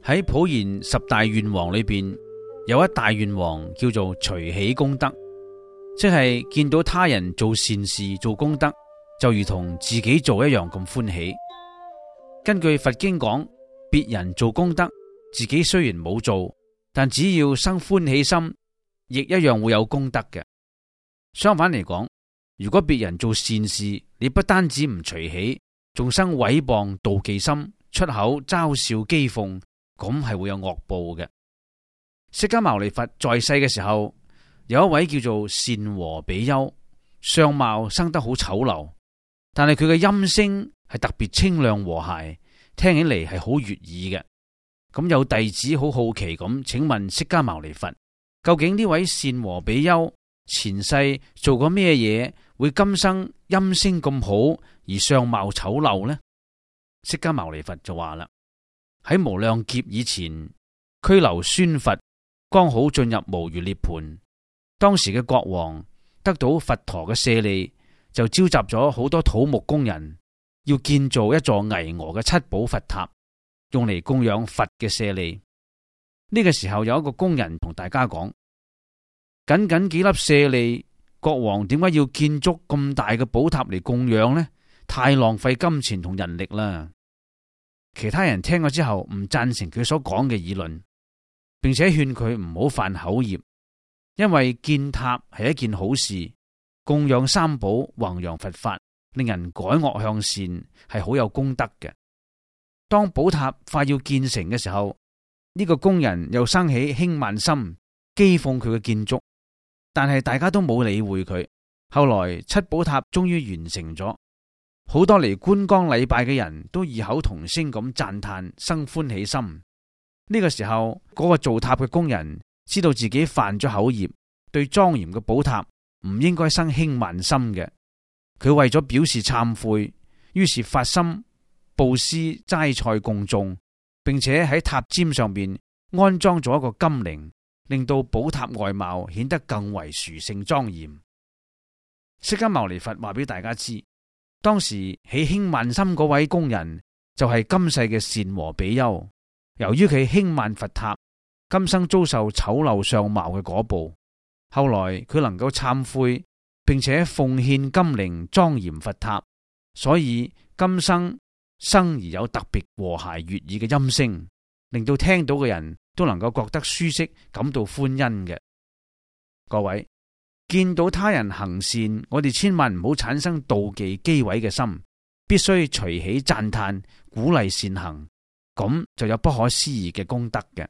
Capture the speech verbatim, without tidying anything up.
喺普賢十大願王裏邊，有一大願王叫做隨喜功德，即係見到他人做善事做功德，就如同自己做一樣咁歡喜。根據佛經講，別人做功德，自己雖然冇做，但只要生歡喜心，亦一樣會有功德嘅。相反嚟講，如果別人做善事，你不單止唔隨喜，仲生毀謗妒忌心，出口嘲笑譏諷，咁係會有惡報嘅。釋迦牟尼佛在世嘅時候，有一位叫做善和比丘，相貌生得好醜陋，但係佢嘅音聲係特別清亮和諧，聽起嚟係好悅耳嘅。咁有弟子好好奇咁請問釋迦牟尼佛，究竟呢位善和比丘前世做過咩嘢，會今生音聲咁好而相貌醜陋呢？釋迦牟尼佛就話啦，喺無量劫以前，拘留孫佛剛好進入無餘涅槃，當時嘅國王得到佛陀嘅舍利，就召集咗好多土木工人，要建造一座巍峨嘅七寶佛塔，用嚟供養佛嘅舍利。呢個時候有一個工人同大家講，僅僅幾粒舍利，國王點解要建築咁大嘅寶塔嚟供養呢？太浪費金錢同人力啦。其他人聽咗之後唔贊成佢所講嘅議論，並且勸佢唔好犯口業，因為建塔係一件好事，供養三寶，弘揚佛法，令人改惡向善，係好有功德嘅。當寶塔快要建成嘅時候，呢個工人又生起輕慢心，譏諷佢嘅建築，但係大家都冇理會佢。後來七寶塔終於完成咗，好多嚟觀光禮拜嘅人都異口同聲咁讚嘆，生歡喜心。呢個時候，嗰個造塔嘅工人知道自己犯咗口業，對莊嚴嘅寶塔唔應該生輕慢心嘅。佢為咗表示懺悔，於是發心布施齋菜供眾，並且喺塔尖上邊安裝咗一個金鈴，令到寶塔外貌顯得更為殊勝莊嚴。釋迦牟尼佛話俾大家知，當時起輕慢心嗰位工人就係今世嘅善和比丘。由於佢輕慢佛塔，今生遭受醜陋相貌嘅果報。後來佢能夠懺悔，並且奉獻金鈴莊嚴佛塔，所以今生生而有特別和諧悅耳嘅音聲，令到聽到嘅人都能夠覺得舒適，感到歡欣嘅。各位，見到他人行善，我哋千萬唔好產生妒忌譏毀嘅心，必須隨喜讚嘆，鼓勵善行，咁就有不可思議嘅功德嘅。